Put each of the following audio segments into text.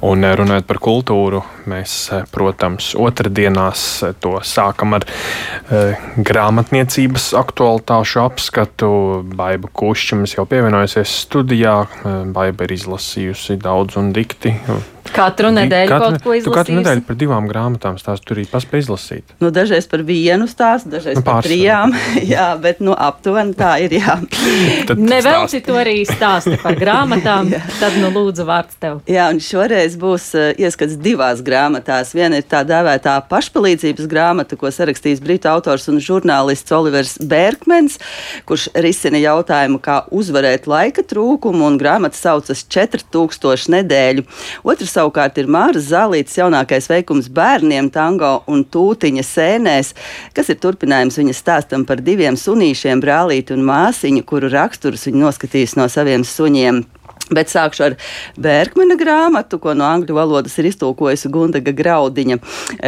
Un runājot par kultūru, mēs, protams, otrdienās to sākam ar grāmatniecības aktualitāšu apskatu. Baiba Kušķa mums jau pievienojusies studijā. Baiba ir izlasījusi daudz un dikti. Katru nedēļu kaut ko izlasījusi? Tu katru nedēļu par 2 grāmatām stāstu tur arī paspēj izlasīt. Dažreiz par 1 stāstu, dažreiz par 3. Jā, bet aptuveni tā ir, jā. Nevelci to arī stāsti par grāmatām, tad lūdzu vārds tev. Jā, un šoreiz būs ieskats 2 grāmatās. Viena ir tā dēvētā pašpalīdzības grāmata, ko sarakstījis britu autors un žurnālists Olivers Bērkmens, kurš risina jautājumu, kā uzvarēt laika trūkumu, un grāmata saucas 4000 nedēļu. Otrs savukārt ir Māras Zālītes jaunākais veikums bērniem tango un tūtiņa sēnēs, kas ir turpinājums viņa stāstam par 2 sunīšiem, brālīti un māsiņu, kuru raksturus viņi noskatīs no saviem suņiem. Bet sākšu ar Bērkmena grāmatu, ko no angļu valodas ir iztulkojusi Gundaga Graudiņa.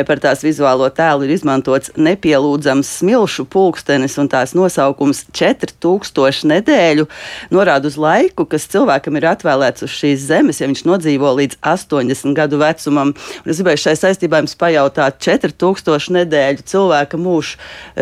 Par tās vizuālo tēlu ir izmantots nepielūdzams smilšu pulkstenis, un tās nosaukums 4000 nedēļu norāda uz laiku, kas cilvēkam ir atvēlēts uz šīs zemes, ja viņš nodzīvo līdz 80 gadu vecumam. Un es gribēju šai saistībā jums pajautāt, 4000 nedēļu cilvēka mūžs,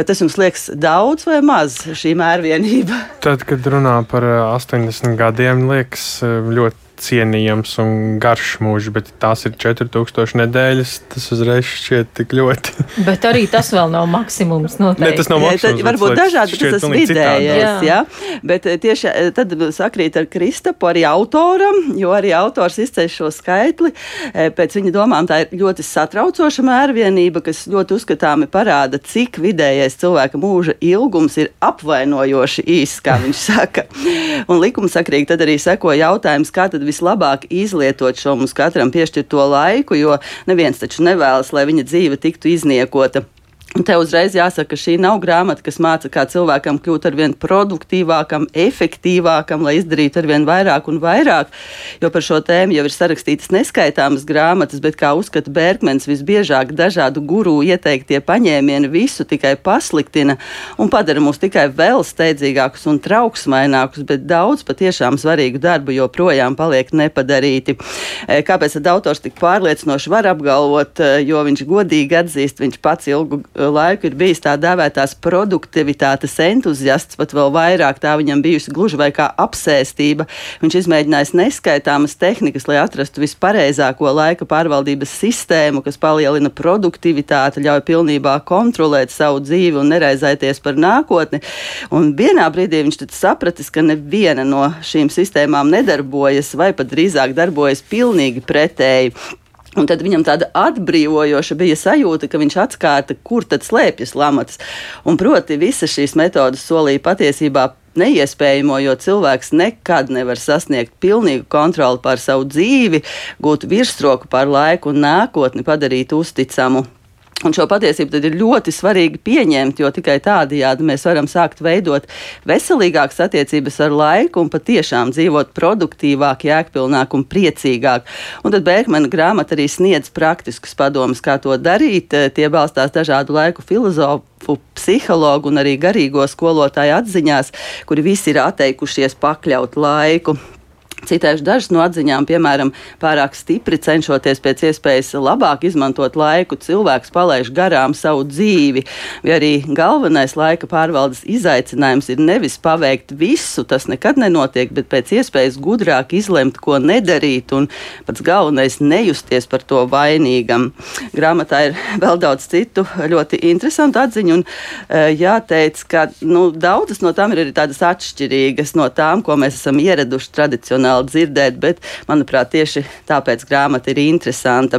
tas jums liekas daudz vai maz šī mērvienība? Tad, kad runā par 80 gadiem, liekas ļoti cienījams un garš mūžs, bet tās ir 4000 nedēļas, tas uzreiz šķiet tik ļoti. Bet arī tas vēl nav maksimums noteikti. Ne, tas nav maksimums. Varbūt dažādi, bet tas vidējais, jā. Bet tieši tad sakrīt ar Kristapu, arī autoram, jo arī autors izceļ šo skaitli. Pēc viņa domām tā ir ļoti satraucoša mērvienība, kas ļoti uzskatāmi parāda, cik vidējais cilvēka mūža ilgums ir apvainojoši īss, kā viņš saka. Un likumsakrīgi tad arī seko jautājums, kā tad vislabāk izlietot šo mums katram piešķirto laiku, jo neviens taču nevēlas, lai viņa dzīve tiktu izniekota. Un te uzreiz jāsaka, ka šī nav grāmata, kas māca, kā cilvēkam kļūt arvien produktīvākam, efektīvākam, lai izdarītu arvien vairāk un vairāk, jo par šo tēmu jau ir sarakstītas neskaitāmas grāmatas, bet, kā uzskata Bērkmens, visbiežāk dažādu guru ieteiktie paņēmieni visu tikai pasliktina un padara mūs tikai vēl steidzīgākus un trauksmainākus, bet daudz patiešām svarīgu darbu joprojām paliek nepadarīti. Kāpēc tad autors tik pārliecinoši var apgalvot, jo viņš godīgi atzīst, viņš pats ilgu laiku ir bijis tā dēvētās produktivitātes entuziasts, pat vēl vairāk tā viņam bijusi gluži vai kā apsēstība. Viņš izmēģinājis neskaitāmas tehnikas, lai atrastu vispareizāko laika pārvaldības sistēmu, kas palielina produktivitāti, ļauj pilnībā kontrolēt savu dzīvi un neraizēties par nākotni. Un vienā brīdī viņš tad sapratis, ka neviena no šīm sistēmām nedarbojas, vai pat drīzāk darbojas pilnīgi pretēji. Un tad viņam tāda atbrīvojoša bija sajūta, ka viņš atskārta, kur tad slēpjas lamatas. Un proti visas šīs metodas solīja patiesībā neiespējamo, jo cilvēks nekad nevar sasniegt pilnīgu kontroli pār savu dzīvi, gūt virsroku pār laiku un nākotni, padarīt uzticamu. Un šo patiesību tad ir ļoti svarīgi pieņemt, jo tikai tādējādi mēs varam sākt veidot veselīgākas attiecības ar laiku un patiešām dzīvot produktīvāk, jēgpilnāk un priecīgāk. Un tad Bērkmena grāmata arī sniedz praktiskus padomus, kā to darīt. Tie balstās dažādu laiku filozofu, psihologu un arī garīgo skolotāju atziņās, kuri visi ir atteikušies pakļaut laiku. Citēšu dažas no atziņām, piemēram, pārāk stipri cenšoties pēc iespējas labāk izmantot laiku, cilvēks palaiž garām savu dzīvi, vai arī galvenais laika pārvaldes izaicinājums ir nevis paveikt visu, tas nekad nenotiek, bet pēc iespējas gudrāk izlemt, ko nedarīt, un pats galvenais nejusties par to vainīgam. Grāmatā ir vēl daudz citu ļoti interesantu atziņu, un jāteic, ka daudzas no tām ir arī tādas atšķirīgas no tām, ko mēs esam ieraduši tradicionāli dzirdēt, bet, manuprāt, tieši tāpēc grāmata ir interesanta.